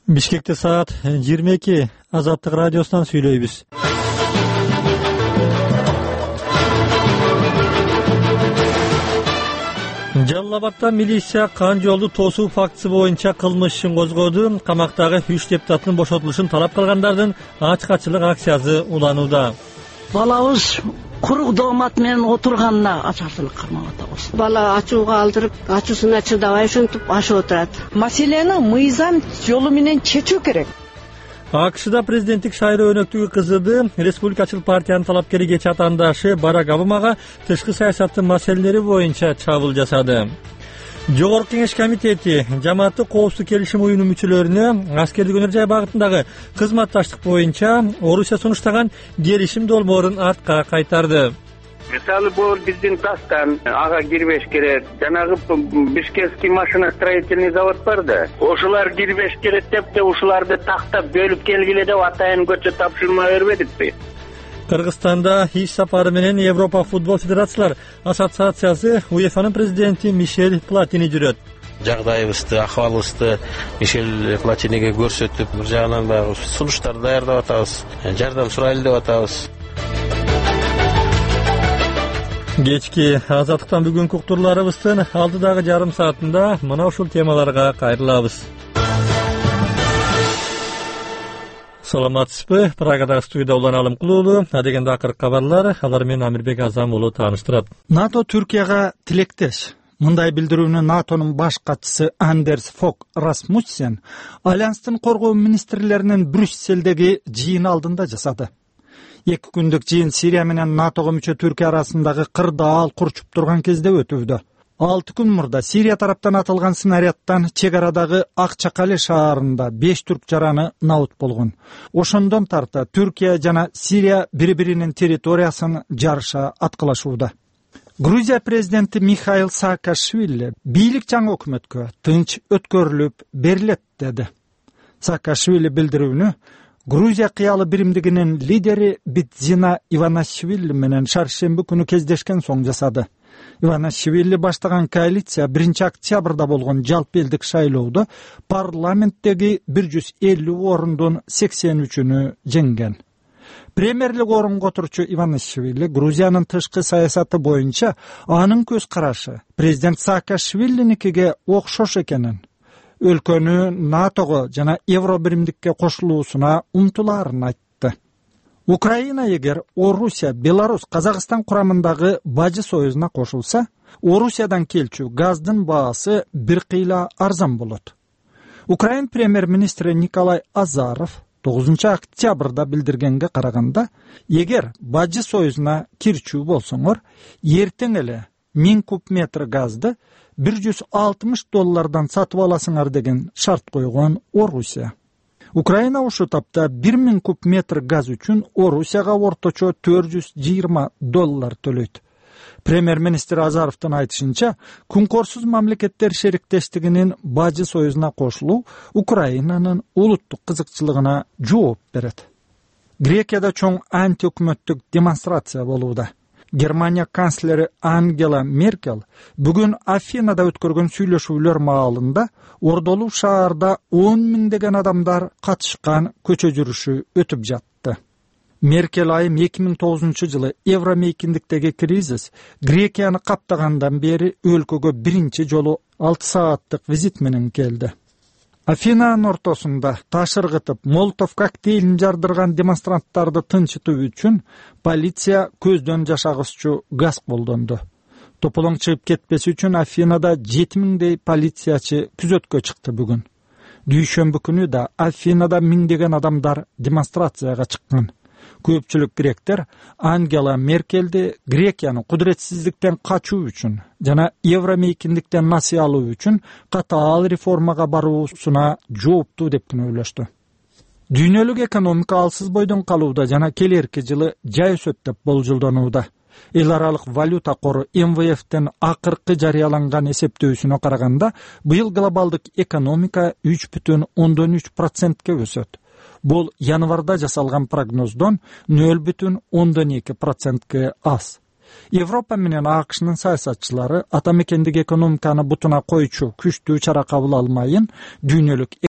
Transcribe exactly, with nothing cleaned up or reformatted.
Бишкекте саат жыйырма эки. Азаттык радиосунан сүйлөйбүз. Жалал Абадта милиция кан жолду тосуу фактысы боюнча кылмыш ишин козгоду. Камактагы үч депутаттын бошотулушун талап кылгандардын ачык-ачылык акциясы уланууда. Балабыз курук доомат менен отурганына ачарчылык кармап атабыз. Бала ачууга алдырып, ачуусуна чыдабай ушинтип ашып отурат. Маселени мыйзам жолу менен чечүү керек. АКШда президенттик шайлоо өнөктүгү кызыды. Республикачыл партиянын талапкери кечээ атаандашы Барак Обамага тышкы саясаттын маселелери боюнча чабуул жасады. Жогорку кеңеш комитети жамааттык коопсуздук келишим уюмунун мүчөлөрүнө аскердик өнөр жай багытындагы кызматташтык боюнча Орусия сунуштаган келишим долбоорун артка кайтарды. Мисалы бул биздин Дастан ага кирбеш керек. Жанагы Бишкекский машиностроительный завод бар да. Ошолар кирбеш керек деп де ушуларды тактап бөлүп келгиле деп атайын көчө тапшырма бербедикпи? Кыргызстанда иш сапары менен Европа футбол федерациялар ассоциациясы УЕФАнын президенти Мишель Платини жүрөт. Жагдайыбызды, акыбалыбызды Мишель Платиниге көрсөтүп, бир жагынан баягы сунуштар даярдап атабыз, жардам сурайлы деп атабыз. Кечки Азаттыктан бүгүнкү уктурларыбыздын алдыдагы жарым саатында мына ушул темаларга кайрылабыз. Саламатсызбы? Прагадагы студияда Улан Алым Кулуулу, адегенде акыркы кабарлар, алар менен Амирбек Азам уулу тааныштырат. НАТО Түркияга тилектеш. Мындай билдирүүнү НАТОнун баш катчысы Андерс Фок Расмуссен Альянстын коргоо министрлеринин Брюсселдеги жыйын алдында жасады. Эки күндүк жыйын Сирия менен НАТОго мүчө Түркия арасындагы кырдаал курчуп турган кезде өтүүдө. Алты күн мурда Сирия тараптан атылган снарядтан чек арадагы Акчакали шаарында беш түрк жараны набут болгон. Ошондон тарта Түркия жана Сирия бири-биринин территориясын жарыша аткылашууда. Грузия президенти Михаил Саакашвили бийлик жаңы өкмөткө тынч өткөрүлүп берилет деди. Саакашвили билдирүүнү Грузия кыялы биримдигинин лидери Бидзина Иванашвили менен шаршемби күнү кездешкен соң жасады. Иванашвили баштаган коалиция биринчи октябрда болгон жалпы элдик шайлоодо парламенттеги бир жүз элүү орундун сексен үчүнү жеңген. Премьерлик орунга отурчу Иванашвили Грузиянын тышкы саясаты боюнча анын көз карашы президент Саакашвилиникиге окшош экенин, өлкөнү НАТОго жана Евро биримдикке кошулуусуна умтулаарын айтты. Украина эгер Орусия, Беларусь, Казакстан курамындагы бажы союзуна кошулса, Орусиядан келчү газдын баасы бир кыйла арзан болот. Украин премьер-министри Николай Азаров тогузунчу октябрда билдиргенге караганда, эгер бажы союзуна кирчүү болсоңор, эртең эле миң куб метр газды бир жүз алтымыш доллардан сатып аласыңар деген шарт койгон Орусия. Украина ушул тапта бир миң куб метр газ үчүн Орусияга орточо төрт жүз жыйырма доллар төлөйт. Премьер-министр Азаровдун айтышынча, күнкорсуз мамлекеттер шериктештигинин бажы союзуна кошулуу Украинанын улуттук кызыкчылыгына жооп берет. Грекияда чоң антиөкмөттүк демонстрация болууда. Германия канцлери Ангела Меркель бүгүн Афинада өткөргөн сүйлөшүүлөр маалында Ордолуу шаарда он миңдеген адамдар катышкан көчө жүрүшү өтүп жатты. Меркель айым эки миң тогузунчу жылы евро мейкиндиктеги кризис Грекияны каптагандан бери өлкөгө биринчи жолу алты сааттык визит менен келди. Афинанын ортосунда таш ыргытып, молотов коктейлин жардырган демонстранттарды тынчытуу үчүн полиция көздөн жашагыччу газ колдонду. Тополоң чыгып кетпеси үчүн Афинада жети миңдей полициячы күзөткө чыкты бүгүн. Дүйшөмбү күнү да Афинада миңдеген адамдар демонстрацияга чыккан. Көпчүлүк гректер Ангела Меркельди Грекияны кудуретсиздиктен качуу үчүн жана евро мейкиндиктен насыя алуу үчүн катаал реформага баруусуна жооптуу деп күнөөлөштү. Дүйнөлүк экономика алсыз бойдон калууда жана келерки жылы жай өсөт деп болжолдонууда. Эл аралык валюта кору эм вэ эфтен акыркы жарыяланган эсептөөсүнө караганда, быйыл глобалдык экономика үч бүтүн ондон үч процентке өсөт. Бул январда жасалган прогноздон нөл бүтүн ондон эки процентке аз. Европа менен АКШнын саясатчылары ата мекендик экономиканы бутуна койчу күчтүү чара кабыл алмайын дүйнөлүк